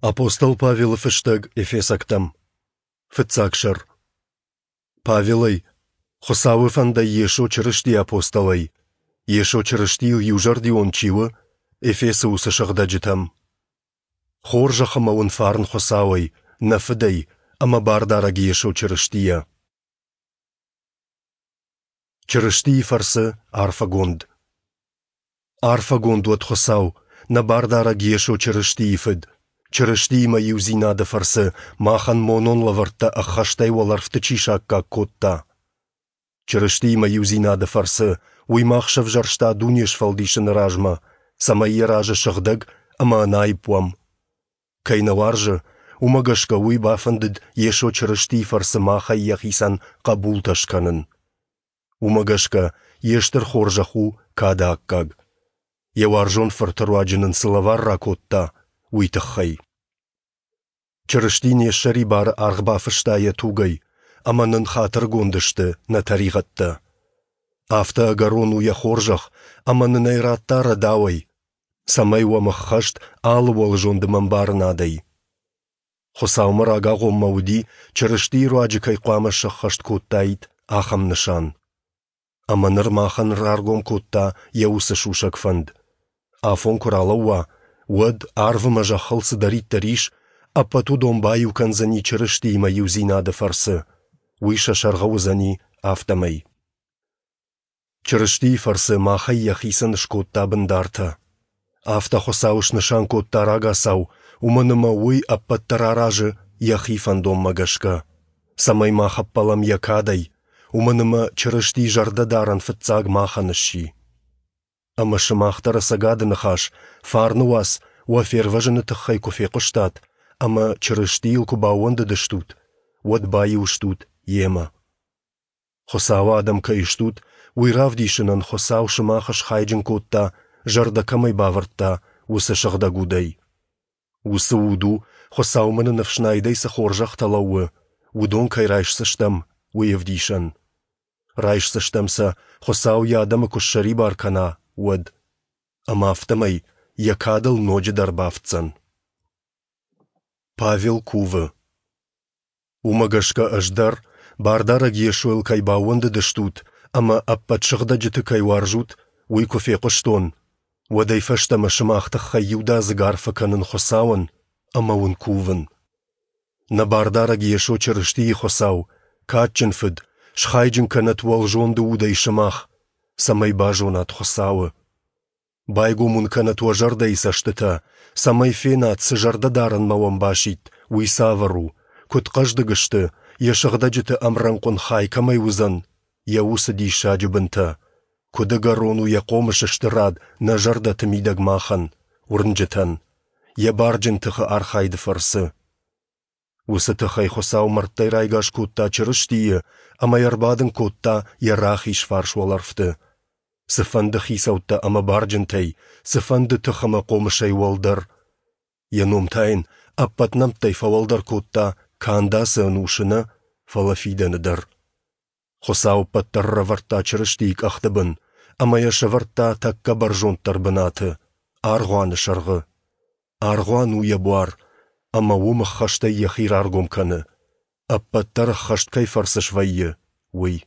Апостол Павелы фыстӕг Эфесӕгтӕм. Фыццаг сӕр. Павелӕй, Хуыцауы фӕндӕй Йесо Чырыстийы апостолӕй, Йесо Чырыстийыл иузӕрдион чи у, Эфесы уыцы сыгъдӕджытӕм. Хорзӕх ӕмӕ уын фарн Хуыцауӕй, нӕ Фыдӕй ӕмӕ Бардарӕг Йесо Чырыстийӕ. Чырыстийы фӕрцы арфӕгонд. Арфӕгонд уӕд Хуыцау, нӕ Бардарӕг Йесо Чырыстийы Фыд, Чырыстиимӕ иудзинады фӕрцы махӕн монон лӕвӕрттӕ ӕххӕстӕй уӕлӕрвты чи саккаг кодта. Чырыстиимӕ иудзинады фӕрцы уый мах сӕвзӕрста дуне сфӕлдисыны размӕ, цӕмӕй йӕ разы сыгъдӕг ӕмӕ ӕнаипп уӕм. Кӕй нӕ уарзы, уымӕ гӕсгӕ уый бафӕндыд Йесо Чырыстийы фӕрцы махӕй йӕхицӕн хъӕбултӕ скӕнын. Уымӕ гӕсгӕ йе стыр хорзӕх у кады аккаг. Йӕ уарзон фырты руаджы нын цы лӕвар ракодта, уый тыххӕй. Чырысти не ссӕрибары аргъ бафыста йӕ тугӕй, ӕмӕ нын хатыргонд сты нӕ тӕригъӕдтӕ. Афтӕ ӕгӕрон у йӕ хорзӕх, ӕмӕ нын ӕй радта рӕдауӕй, цӕмӕй уӕм ӕххӕст алы уӕлзонды мӕмбарынадӕй. Хуыцаумӕ рагагъоммӕ уыди, Чырыстийы руаджы кӕй хъуамӕ сӕххӕст кодтаид, ахӕм нысан. Ӕмӕ ныр махӕн раргом кодта йӕ уыцы сусӕг фӕнд. Афон куы ралӕууа, уӕд, арв ӕмӕ зӕххыл цыдӕриддӕр ис, ӕппӕт уыдон баиу кӕндзӕни Чырыстиимӕ иудзинады фӕрцы, уый сӕ сӕргъы уыдзӕни, афтӕмӕй. Чырыстийы фӕрцы махӕй йӕхицӕн скодта бындартӕ. Афтӕ Хуыцау снысан кодта рагацау, уымӕн ӕмӕ уый ӕппӕт дӕр аразы йӕхи фӕндонмӕ гӕсгӕ, цӕмӕй мах ӕппӕлӕм йӕ кадӕй, уымӕн ӕмӕ Чырысти зӕрдӕдарӕн фыццаг махӕн сси. Ӕмӕ сымах дӕр ӕцӕгады ныхас, фарны уац уӕ фервӕзыны тыххӕй куы фехъуыстат ӕмӕ Чырыстийыл куы баууӕндыдыстут, уӕд баиу стут Йемӕ. Хуыцауы адӕм кӕй стут, уый равдисынӕн Хуыцау сымах схайджын кодта, зӕрдӕ кӕмӕй бавӕрдта, уыцы Сыгъдӕг Удӕй. Уыцы Уд у, Хуыцаумӕ нын ӕфснайдӕй цы хорзӕхтӕ лӕууы, уыдон кӕй райсдзыстӕм, уый ӕвдисӕн. Райсдзыстӕм сӕ, Хуыцау йӕ адӕмы куы ссӕрибар кӕна, уӕд. Ӕмӕ афтӕмӕй йӕ кадыл ноджыдӕр бафтдзӕн. Павел кувы. Уымӕ гӕсгӕ ӕз дӕр, Бардарӕг Йесойыл кӕй баууӕндыдыстут ӕмӕ ӕппӕт сыгъдӕджыты кӕй уарзут, уый куы фехъуыстон, уӕдӕй фӕстӕмӕ сымах тыххӕй иудадзыг арфӕ кӕнын Хуыцауӕн ӕмӕ уын кувын. Нӕ Бардарӕг Йесо Чырыстийы Хуыцау, кадджын Фыд, схайджын кӕнӕт уӕлзонды удӕй сымах, цӕмӕй базонат Хуыцауы. Байгом уын кӕнӕт уӕ зӕрдӕйы цӕстытӕ, цӕмӕй фенат, цы зӕрдӕдарӕнмӕ уӕм басидт, уый цавӕр у, куыд хъӕздыг сты, йӕ сыгъдӕджыты ӕмрӕнхъон хай кӕмӕй уыдзӕн, йӕ уыцы диссаджы бынтӕ, куыд ӕгӕрон у йӕ хъомысы стырад нӕ зӕрдӕты мидӕг махӕн, уырнджытӕн, йӕ барджын тыхы архайды фӕрцы. Уыцы тыхӕй Хуыцау мӕрдтӕй райгас кодта Чырыстийы ӕмӕ йӕ ӕрбадын кодта йӕ рахиз фарс уӕлӕрвты. Цыфӕнды хицӕуттӕ ӕмӕ барджынтӕй, цыфӕнды тых ӕмӕ хъомысӕй уӕлдӕр. Йӕ ном та йын ӕппӕт нӕмттӕй фӕуӕлдӕр кодта канд ацы ӕнусы нӕ, фӕлӕ фидӕны дӕр. Хуыцау ӕппӕт дӕр ӕрӕвӕрдта Чырыстийы къӕхты бын ӕмӕ йӕ сӕвӕрдта тӕккӕ бӕрзонддӕр бынаты, аргъуаны сӕргъы. Аргъуан у йӕ буар, ӕмӕ уым ӕххӕстӕй йӕхи раргом кӕны, ӕппӕт дӕр ӕххӕст кӕй фӕрцы свӕййы, уый.